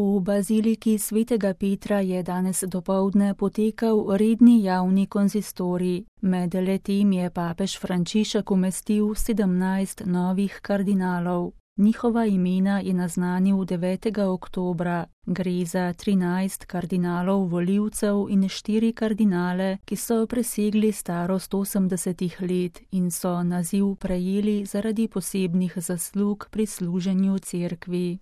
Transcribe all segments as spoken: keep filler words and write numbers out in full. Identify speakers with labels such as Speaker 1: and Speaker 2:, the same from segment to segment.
Speaker 1: V baziliki svetega Petra je danes dopoldne potekal redni javni konzistorij. Med letim je papež Frančišek umestil sedemnajst novih kardinalov. Njihova imena je naznanil devetega oktobra. Gre za trinajst kardinalov volivcev in štiri kardinale, ki so presegli starost osemdesetih let in so naziv prejeli zaradi posebnih zaslug pri služenju cerkvi.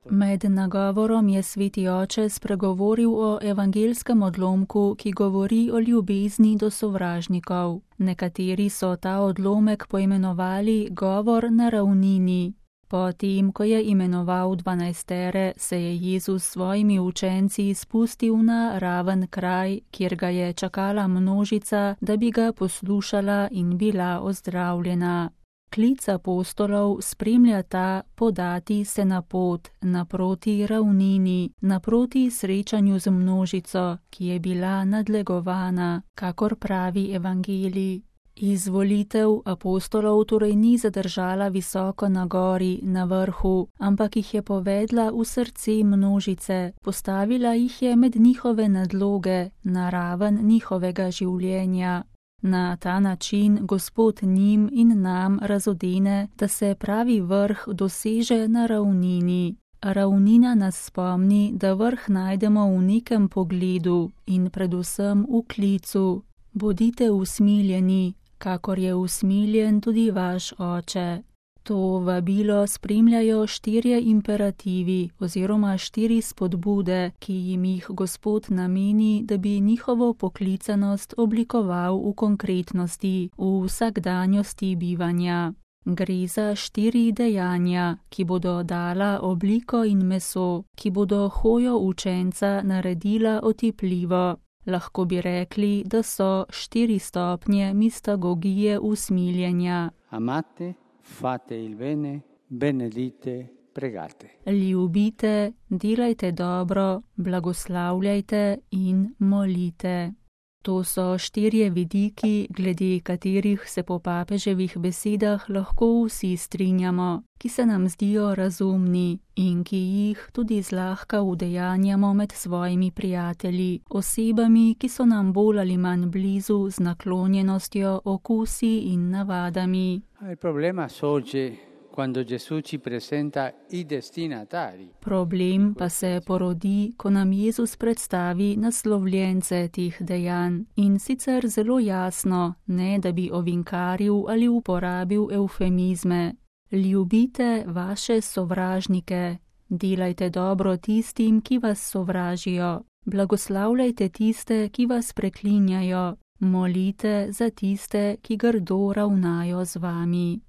Speaker 1: Med nagovorom je sveti oče spregovoril o evangelskem odlomku, ki govori o ljubezni do sovražnikov. Nekateri so ta odlomek poimenovali govor na ravnini. Potem, ko je imenoval dvanajstere, se je Jezus s svojimi učenci spustil na raven kraj, kjer ga je čakala množica, da bi ga poslušala in bila ozdravljena. Klic apostolov spremlja ta podati se na pot, naproti ravnini, naproti srečanju z množico, ki je bila nadlegovana, kakor pravi evangelij. Izvolitev apostolov torej ni zadržala visoko na gori, na vrhu, ampak jih je povedla v srce množice, postavila jih je med njihove nadloge, na raven njihovega življenja. Na ta način Gospod njim in nam razodene, da se pravi vrh doseže na ravnini. Ravnina nas spomni, da vrh najdemo v nekem pogledu in predvsem v klicu. Bodite usmiljeni, kakor je usmiljen tudi vaš oče. To vabilo spremljajo štirje imperativi oziroma štiri spodbude, ki jim jih Gospod nameni, da bi njihovo poklicanost oblikoval v konkretnosti, v vsakdanjosti bivanja. Gre za štiri dejanja, ki bodo dala obliko in meso, ki bodo hojo učenca naredila otipljivo. Lahko bi rekli, da so štiri stopnje mistagogije usmiljenja.
Speaker 2: Amate, fate il bene, benedite, pregate.
Speaker 1: Ljubite, delajte dobro, blagoslavljajte in molite. To so štirje vidiki, glede katerih se po papeževih besedah lahko vsi strinjamo, ki se nam zdijo razumni in ki jih tudi zlahka udejanjamo med svojimi prijatelji, osebami, ki so nam bolj ali manj blizu z naklonjenostjo, okusi in navadami.
Speaker 2: Il problema sorge quando Gesù ci presenta i destinatari.
Speaker 1: Problem pa se porodi, ko nam Jezus predstavi naslovljence teh dejanj in sicer zelo jasno, ne da bi ovinkaril ali uporabil eufemizme. Ljubite vaše sovražnike, delajte dobro tistim, ki vas sovražijo, blagoslavljajte tiste, ki vas preklinjajo, molite za tiste, ki grdo ravnajo z vami.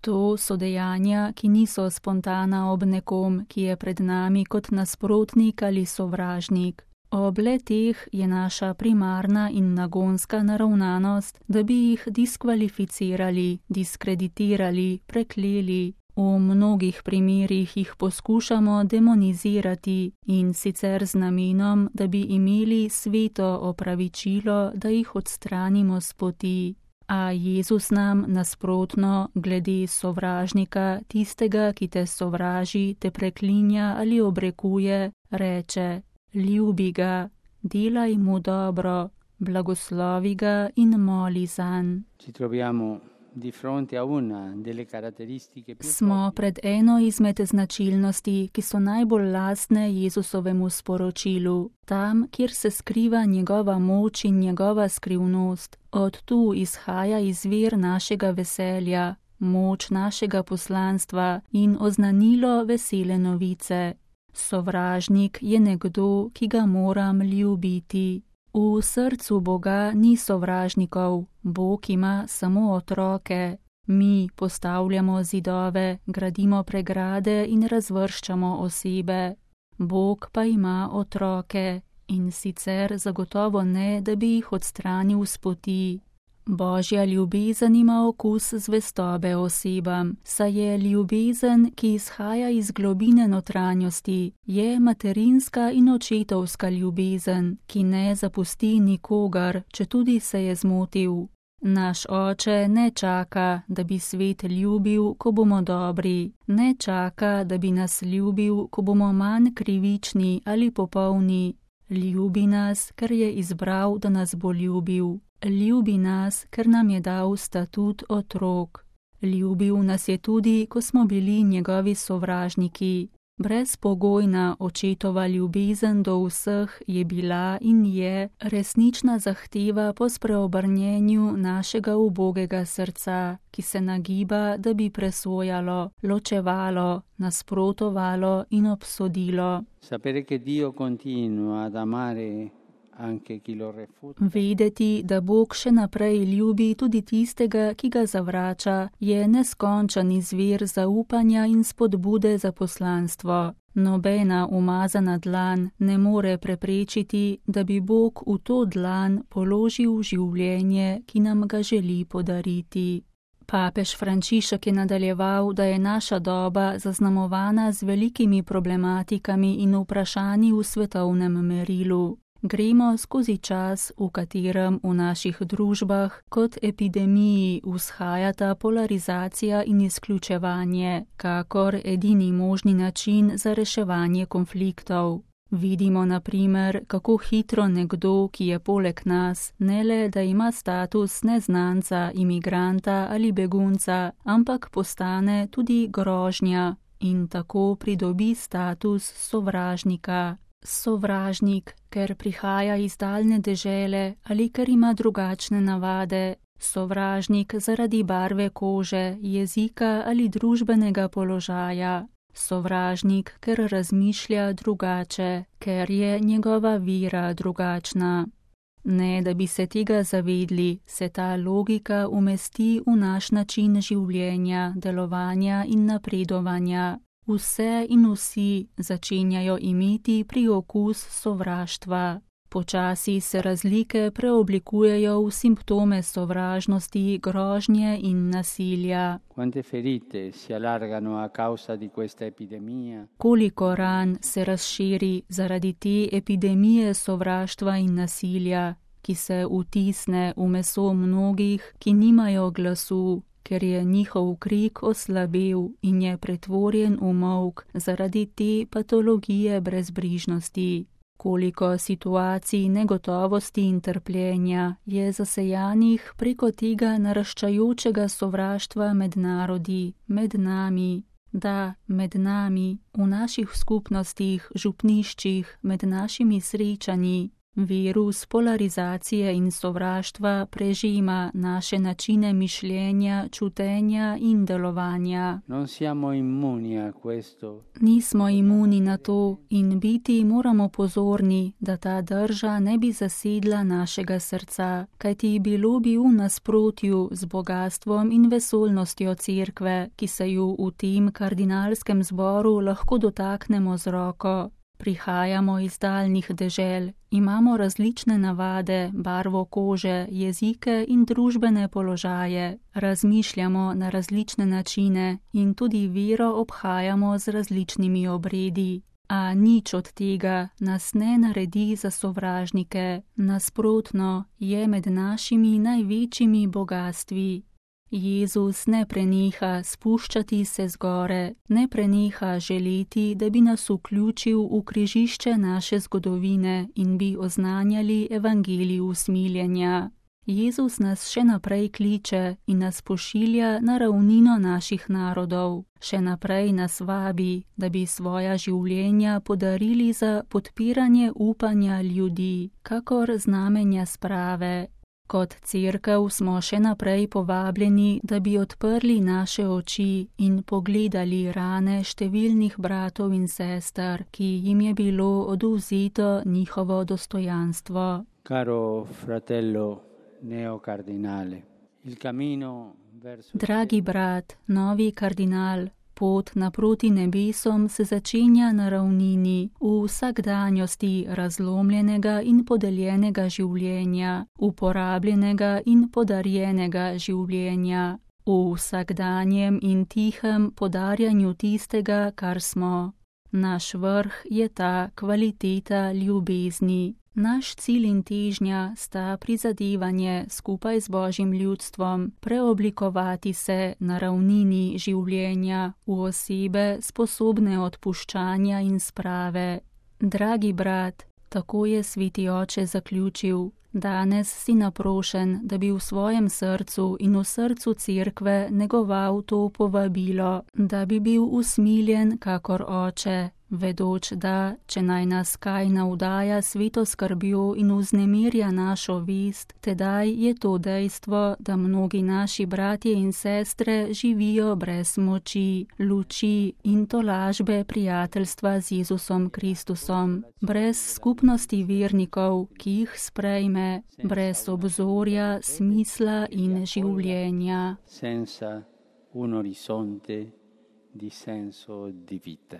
Speaker 1: To so dejanja, ki niso spontana ob nekom, ki je pred nami kot nasprotnik ali sovražnik. Ob le-teh je naša primarna in nagonska naravnanost, da bi jih diskvalificirali, diskreditirali, prekleli. V mnogih primerih jih poskušamo demonizirati in sicer z namenom, da bi imeli sveto opravičilo, da jih odstranimo s poti. A Jezus nam nasprotno, glede sovražnika, tistega, ki te sovraži, te preklinja ali obrekuje, reče: ljubi ga, delaj mu dobro, blagoslovi ga in moli zanj. Smo pred eno izmed značilnosti, ki so najbolj lastne Jezusovemu sporočilu, tam, kjer se skriva njegova moč in njegova skrivnost. Od tu izhaja izvir našega veselja, moč našega poslanstva in oznanilo vesele novice. Sovražnik je nekdo, ki ga moram ljubiti. V srcu Boga ni sovražnikov, Bog ima samo otroke. Mi postavljamo zidove, gradimo pregrade in razvrščamo osebe. Bog pa ima otroke in sicer zagotovo ne, da bi jih odstranil s poti. Božja ljubezen ima okus zvestobe osebam, saj je ljubezen, ki izhaja iz globine notranjosti, je materinska in očetovska ljubezen, ki ne zapusti nikogar, četudi se je zmotil. Naš Oče ne čaka, da bi svet ljubil, ko bomo dobri, ne čaka, da bi nas ljubil, ko bomo manj krivični ali popolni. Ljubi nas, ker je izbral, da nas bo ljubil. Ljubi nas, ker nam je dal statut otrok. Ljubil nas je tudi, ko smo bili njegovi sovražniki. Brezpogojna očetova ljubezen do vseh je bila in je resnična zahteva po spreobrnjenju našega ubogega srca, ki se nagiba, da bi presojalo, ločevalo, nasprotovalo in obsodilo.
Speaker 2: Sapere che Dio continua ad amare anche chi lo refuta.
Speaker 1: Vedeti, da Bog še naprej ljubi tudi tistega, ki ga zavrača, je neskončen izvir zaupanja in spodbude za poslanstvo. Nobena umazana dlan ne more preprečiti, da bi Bog v to dlan položil življenje, ki nam ga želi podariti. Papež Frančišek je nadaljeval, da je naša doba zaznamovana z velikimi problematikami in vprašanji v svetovnem merilu. Gremo skozi čas, v katerem v naših družbah kot epidemiji vzhajata polarizacija in izključevanje, kakor edini možni način za reševanje konfliktov. Vidimo na primer, kako hitro nekdo, ki je poleg nas, ne le, da ima status neznanca, imigranta ali begunca, ampak postane tudi grožnja in tako pridobi status sovražnika. Sovražnik, ker prihaja iz daljne dežele ali ker ima drugačne navade. Sovražnik zaradi barve kože, jezika ali družbenega položaja. Sovražnik, ker razmišlja drugače, ker je njegova vera drugačna. Ne, da bi se tega zavedli, se ta logika umesti v naš način življenja, delovanja in napredovanja. Vse in vsi začenjajo imeti priokus sovraštva. Počasi se razlike preoblikujejo v simptome sovražnosti, grožnje in nasilja.
Speaker 2: Quante ferite si allargano a causa di questa epidemia?
Speaker 1: Koliko ran se razširi zaradi te epidemije sovraštva in nasilja, ki se vtisne v meso mnogih, ki nimajo glasu, ker je njihov krik oslabel in je pretvorjen v molk zaradi te patologije brezbrižnosti. Koliko situacij negotovosti in trpljenja je zasejanih preko tega naraščajočega sovraštva med narodi, med nami, da, med nami, v naših skupnostih, župniščih, med našimi srečanji. Virus polarizacije in sovraštva prežima naše načine mišljenja, čutenja in delovanja.
Speaker 2: Non siamo immuni a questo.
Speaker 1: Nismo imuni na to in biti moramo pozorni, da ta drža ne bi zasedla našega srca, kajti bilo bi v nasprotju z bogatstvom in vesolnostjo cerkve, ki se ju v tem kardinalskem zboru lahko dotaknemo z roko. Prihajamo iz daljnih dežel, imamo različne navade, barvo kože, jezike in družbene položaje, razmišljamo na različne načine in tudi vero obhajamo z različnimi obredi. A nič od tega nas ne naredi za sovražnike, nasprotno je med našimi največjimi bogastvi. Jezus ne preneha spuščati se zgore, ne preneha želeti, da bi nas vključil v križišče naše zgodovine in bi oznanjali evangelij usmiljenja. Jezus nas še naprej kliče in nas pošilja na ravnino naših narodov. Še naprej nas vabi, da bi svoja življenja podarili za podpiranje upanja ljudi, kakor znamenja sprave. Kot cerkev smo še naprej povabljeni, da bi odprli naše oči in pogledali rane številnih bratov in sester, ki jim je bilo odvzeto njihovo dostojanstvo.
Speaker 2: Caro fratello neokardinale, il cammino verso...
Speaker 1: Dragi brat, novi kardinal, pot naproti nebesom se začenja na ravnini, v vsakdanjosti razlomljenega in podeljenega življenja, uporabljenega in podarjenega življenja, v vsakdanjem in tihem podarjanju tistega, kar smo. Naš vrh je ta kvaliteta ljubezni. Naš cilj in težnja sta prizadevanje skupaj z Božjim ljudstvom preoblikovati se na ravnini življenja v osebe sposobne odpuščanja in sprave. Dragi brat, tako je Sveti Oče zaključil, danes si naprošen, da bi v svojem srcu in v srcu cerkve negoval to povabilo, da bi bil usmiljen kakor Oče, vedoč, da, če naj nas kaj navdaja sveto skrbjo in vznemirja našo vest, tedaj je to dejstvo, da mnogi naši bratje in sestre živijo brez moči, luči in tolažbe prijateljstva z Jezusom Kristusom, brez skupnosti vernikov, ki jih sprejme, brez obzorja, smisla in življenja.
Speaker 2: Senza un orizzonte di senso di vita.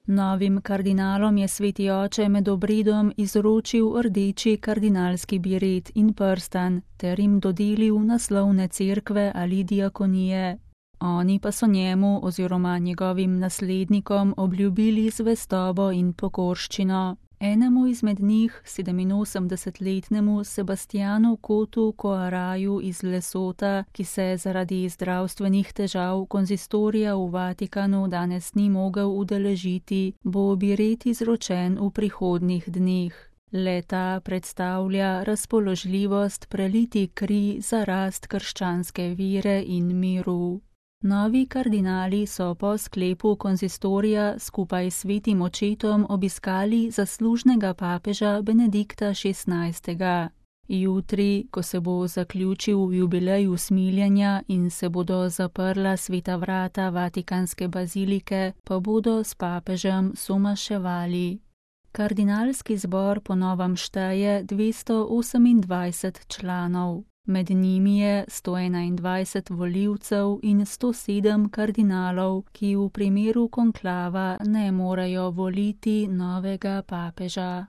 Speaker 1: Novim kardinalom je Sveti Oče med obredom izročil rdeči kardinalski biret in prstan ter jim dodelil naslovne cerkve ali diakonije. Oni pa so njemu oziroma njegovim naslednikom obljubili zvestobo in pokorščino. Enemu izmed njih, sedeminosemdesetletnemu Sebastianu Kotu Koaraju iz Lesota, ki se zaradi zdravstvenih težav konzistorija v Vatikanu danes ni mogel udeležiti, bo biret izročen v prihodnjih dneh. Le-ta predstavlja razpoložljivost preliti kri za rast krščanske vere in miru. Novi kardinali so po sklepu konzistorija skupaj s svetim očetom obiskali zaslužnega papeža Benedikta šestnajstega. Jutri, ko se bo zaključil jubilej usmiljenja in se bodo zaprla sveta vrata Vatikanske bazilike, pa bodo s papežem somaševali. Kardinalski zbor po novem šteje dvesto osemindvajset članov. Med njimi je sto enaindvajset volivcev in sto sedem kardinalov, ki v primeru konklava ne morejo voliti novega papeža.